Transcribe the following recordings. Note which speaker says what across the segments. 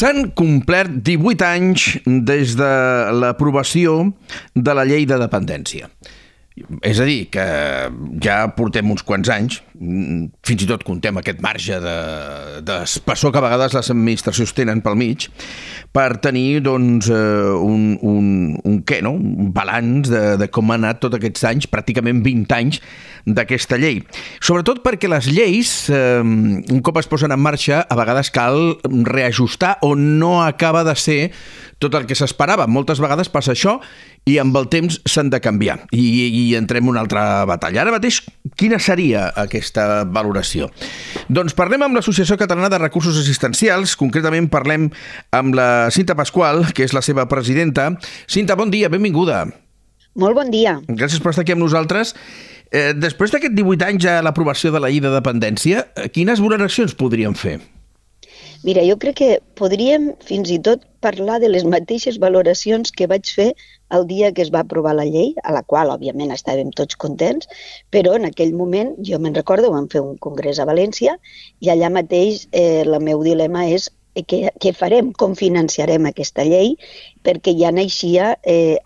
Speaker 1: S'han complert 18 anys des de l'aprovació de la llei de dependència. És a dir, que ja portem uns quants anys, fins i tot contem aquest marge d'espessor que a vegades les administracions tenen pel mig, per tenir doncs, un balanç de com ha anat tots aquests anys, pràcticament 20 anys d'aquesta llei. Sobretot perquè les lleis, un cop es posen en marxa, a vegades cal reajustar o no acaba de ser tot el que s'esperava. Moltes vegades passa això i amb el temps s'han de canviar. I entrem en una altra batalla. Ara mateix, quina seria aquesta valoració? Doncs parlem amb l'Associació Catalana de Recursos Assistencials. Concretament parlem amb la Cinta Pasqual, que és la seva presidenta. Cinta, bon dia, benvinguda.
Speaker 2: Molt bon dia.
Speaker 1: Gràcies per estar aquí amb nosaltres. Després d'aquest 18 anys a l'aprovació de la llei de dependència, quines valoracions podríem fer?
Speaker 2: Mira, jo crec que podríem fins i tot parlar de les mateixes valoracions que vaig fer el dia que es va aprovar la llei, a la qual, òbviament, estàvem tots contents, però en aquell moment, jo me'n recordo, vam fer un congrés a València i allà mateix el meu dilema és què farem, com financiarem aquesta llei, perquè ja naixia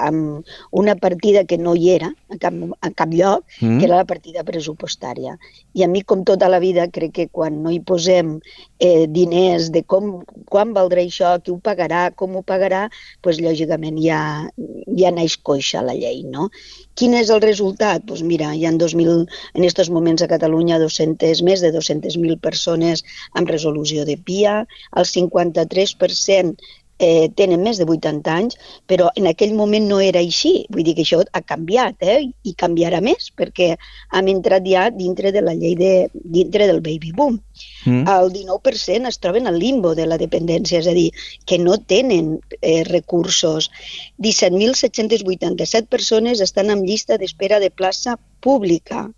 Speaker 2: amb una partida que no hi era a cap lloc, que era la partida pressupostària. I a mi, com tota la vida, crec que quan no hi posem diners de quan valdrà això, qui ho pagarà, com ho pagarà, doncs lògicament ja naix coixa la llei, no? Quin és el resultat? Doncs mira, hi ha en aquests moments a Catalunya més de 200.000 persones amb resolució de PIA, el 53% tenen més de 80 anys, però en aquell moment no era així. Vull dir que això ha canviat, i canviarà més, perquè hem entrat ja dintre de la llei dintre del baby boom. El 19% es troben al limbo de la dependència, és a dir, que no tenen recursos. 17.787 persones estan en llista d'espera de plaça pública.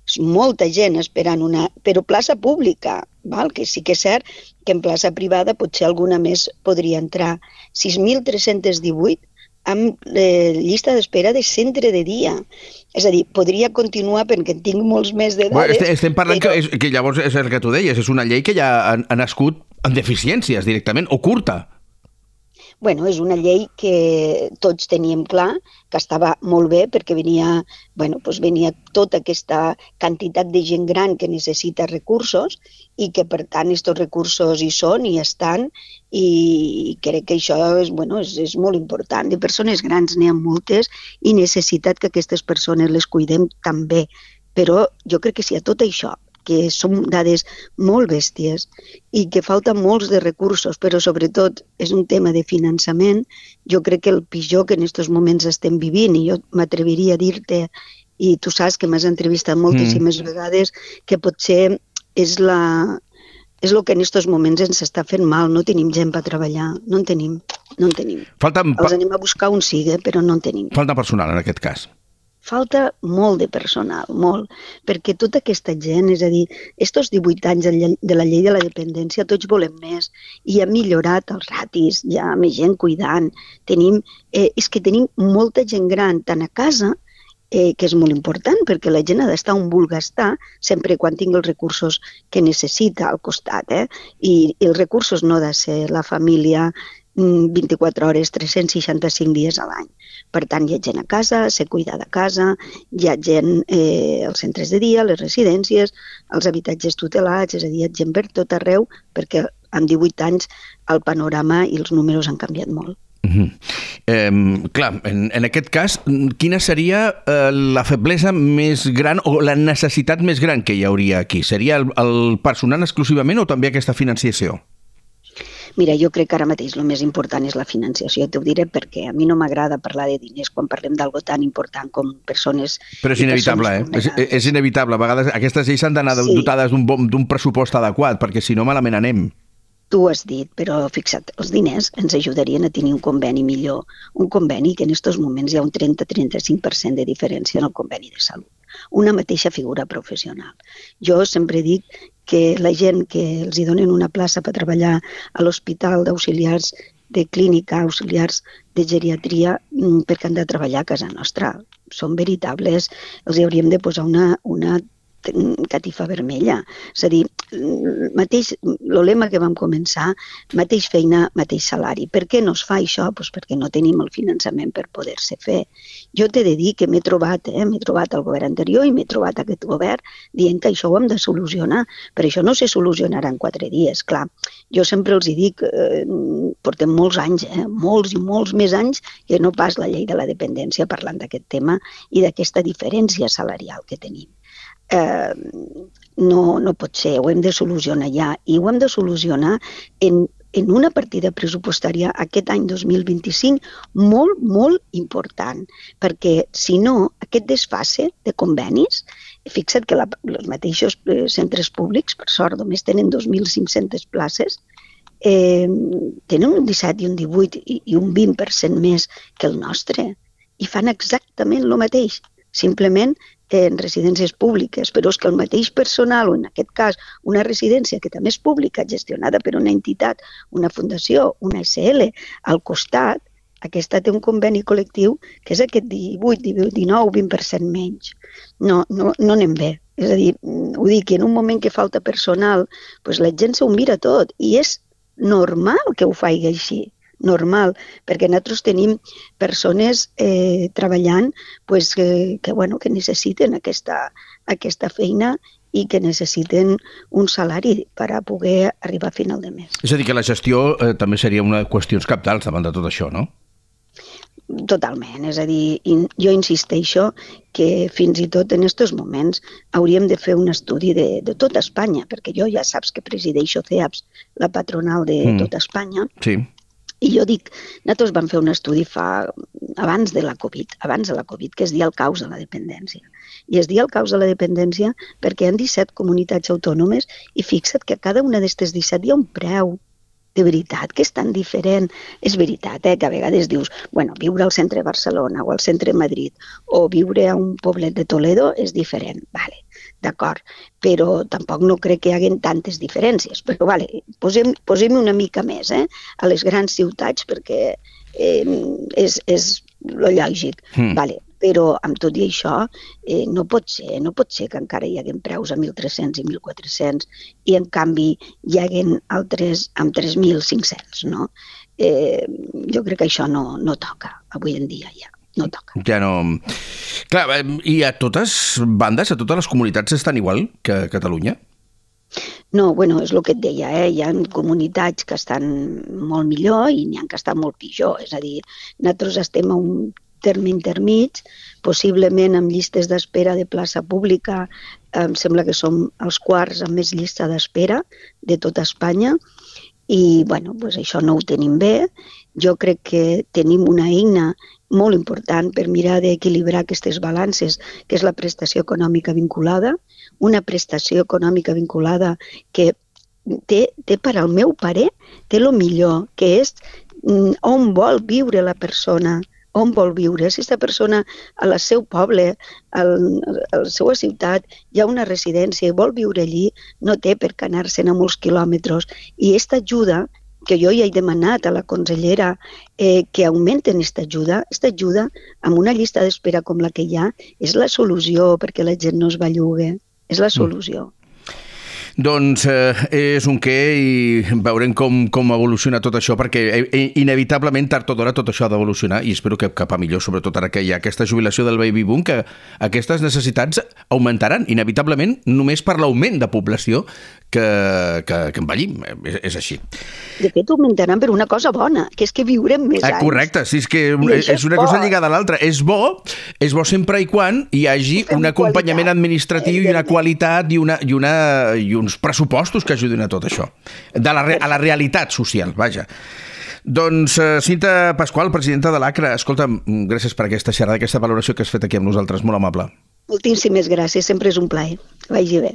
Speaker 2: És molta gent esperant però plaça pública, que sí que és cert que en plaça privada potser alguna més podria entrar. 6.318 amb llista d'espera de centre de dia. És a dir, podria continuar perquè tinc molts més de dades.
Speaker 1: Estem parlant que llavors és el que tu deies, és una llei que ja ha nascut amb deficiències directament, o curta.
Speaker 2: Bueno, és una llei que tots teníem clar que estava molt bé perquè venia tota aquesta quantitat de gent gran que necessita recursos i que, per tant, aquests recursos hi són, hi estan, i crec que això és molt important. De persones grans n'hi ha moltes i necessitat que aquestes persones les cuidem també. Però jo crec que si a tot això, que són dades molt bèsties i que falten molts de recursos, però sobretot és un tema de finançament, jo crec que el pitjor que en aquests moments estem vivint, i jo m'atreviria a dir-te, i tu saps que m'has entrevistat moltíssimes vegades, que potser és el que en aquests moments ens està fent mal. No tenim gent per treballar, no en tenim. Els anem a buscar on sigui, però no en tenim.
Speaker 1: Falta personal en aquest cas.
Speaker 2: Falta molt de personal, molt, perquè tota aquesta gent, és a dir, estos 18 anys de la llei de la dependència, tots volem més, i ha millorat els ratis, hi ha més gent cuidant, és que tenim molta gent gran, tant a casa, que és molt important, perquè la gent ha d'estar on vulgui estar, sempre quan tingui els recursos que necessita al costat, i els recursos no ha de ser la família 24 hores, 365 dies a l'any. Per tant, hi ha gent a casa, se cuida de casa, hi ha gent als centres de dia, a les residències, als habitatges tutelats, és a dir, hi ha gent per tot arreu, perquè en 18 anys el panorama i els números han canviat molt.
Speaker 1: Clar, en aquest cas, quina seria la feblesa més gran o la necessitat més gran que hi hauria aquí? Seria el personal exclusivament o també aquesta financiació?
Speaker 2: Mira, jo crec que ara mateix el més important és la financiació. T'ho diré perquè a mi no m'agrada parlar de diners quan parlem d'algo tan important com persones...
Speaker 1: Però és inevitable, És inevitable. A vegades aquestes lleis s'han d'anar dotades d'un pressupost adequat, perquè si no malament anem.
Speaker 2: Tu ho has dit, però fixa't, els diners ens ajudarien a tenir un conveni millor. Un conveni que en aquests moments hi ha un 30-35% de diferència en el conveni de salut. Una mateixa figura professional. Jo sempre dic que la gent que els donen una plaça per treballar a l'hospital d'auxiliars de clínica, auxiliars de geriatria, perquè han de treballar a casa nostra. Són veritables, els hauríem de posar una catifa vermella. És a dir, el lema que vam començar, mateix feina, mateix salari. Per què no es fa això? Pues perquè no tenim el finançament per poder-se fer. Jo t'he de dir que m'he trobat al govern anterior i m'he trobat aquest govern dient que això ho hem de solucionar, però això no se solucionarà en 4 dies, clar. Jo sempre els dic, portem molts anys, molts i molts més anys que no pas la llei de la dependència parlant d'aquest tema i d'aquesta diferència salarial que tenim. No pot ser, ho hem de solucionar ja i ho hem de solucionar en una partida pressupostària aquest any 2025 molt, molt important, perquè si no, aquest desfase de convenis, fixa't que els mateixos centres públics, per sort, només tenen 2.500 places, tenen un 17 i un 18 i un 20% més que el nostre i fan exactament el mateix, simplement en residències públiques, però és que el mateix personal, o en aquest cas una residència que també és pública, gestionada per una entitat, una fundació, una SL, al costat, aquesta té un conveni col·lectiu que és aquest 18, 19, 20% menys. No anem bé. És a dir, ho dic, en un moment que falta personal, doncs la gent s'ho mira tot i és normal que ho faci així. Normal, perquè nosaltres tenim persones treballant que necessiten aquesta feina i que necessiten un salari per a poder arribar a final de mes.
Speaker 1: És a dir, que la gestió també seria una qüestió cabdals davant de tot això, no?
Speaker 2: Totalment, és a dir, jo insisteixo que fins i tot en aquests moments hauríem de fer un estudi de tota Espanya, perquè jo ja saps que presideixo CEAPS, la patronal de tota Espanya,
Speaker 1: sí.
Speaker 2: I jo dic, nosaltres vam fer un estudi abans de la Covid, que es deia el caos de la dependència. I es deia el caos de la dependència perquè hi ha 17 comunitats autònomes i fixa't que a cada una d'aquestes 17 hi ha un preu. De veritat que és tan diferent. És veritat, que a vegades dius, viure al centre de Barcelona o al centre de Madrid o viure a un poblet de Toledo és diferent. Vale, d'acord, però tampoc no crec que hi hagi tantes diferències. Però posem una mica més a les grans ciutats perquè és lo lògic. Vale, però amb tot i això no pot ser que encara hi hagi preus a 1.300 i 1.400 i en canvi hi hagi altres amb 3.500, no? Jo crec que això no toca, avui en dia ja. No toca.
Speaker 1: Ja no... Clar, i a totes bandes, a totes les comunitats estan igual que a Catalunya?
Speaker 2: No, és el que et deia, hi ha comunitats que estan molt millor i n'hi ha que estan molt pitjor. És a dir, nosaltres estem a un terme intermig, possiblement amb llistes d'espera de plaça pública, em sembla que som els quarts amb més llista d'espera de tota Espanya i això no ho tenim bé. Jo crec que tenim una eina molt important per mirar d'equilibrar aquestes balances, que és la prestació econòmica vinculada, una prestació econòmica vinculada que té per al meu parer, té el millor, que és on vol viure la persona, on vol viure. Si aquesta persona al seu poble, a la seva ciutat, hi ha una residència i vol viure allí, no té per què anar-se'n a molts quilòmetres. I aquesta ajuda, que jo ja he demanat a la consellera que augmenten aquesta ajuda amb una llista d'espera com la que hi ha, és la solució perquè la gent no es bellugue. És la solució.
Speaker 1: Doncs és un què i veurem com evoluciona tot això, perquè inevitablement tard o d'hora tot això ha d'evolucionar i espero que cap a millor, sobretot ara que hi ha aquesta jubilació del baby boom, que aquestes necessitats augmentaran inevitablement només per l'augment de població que envellim, és així.
Speaker 2: De fet, augmentaran per una cosa bona, que és que viurem més anys.
Speaker 1: Correcte, sí, és que és una cosa lligada a l'altra. És bo sempre i quan hi hagi un acompanyament administratiu i una qualitat i uns pressupostos que ajudin a tot això, a la realitat social, vaja. Doncs Cinta Pasqual, presidenta de l'ACRA, escolta'm, gràcies per aquesta xerrada, aquesta valoració que has fet aquí amb nosaltres, molt amable.
Speaker 2: Moltíssimes gràcies, sempre és un plaer. Que vagi bé.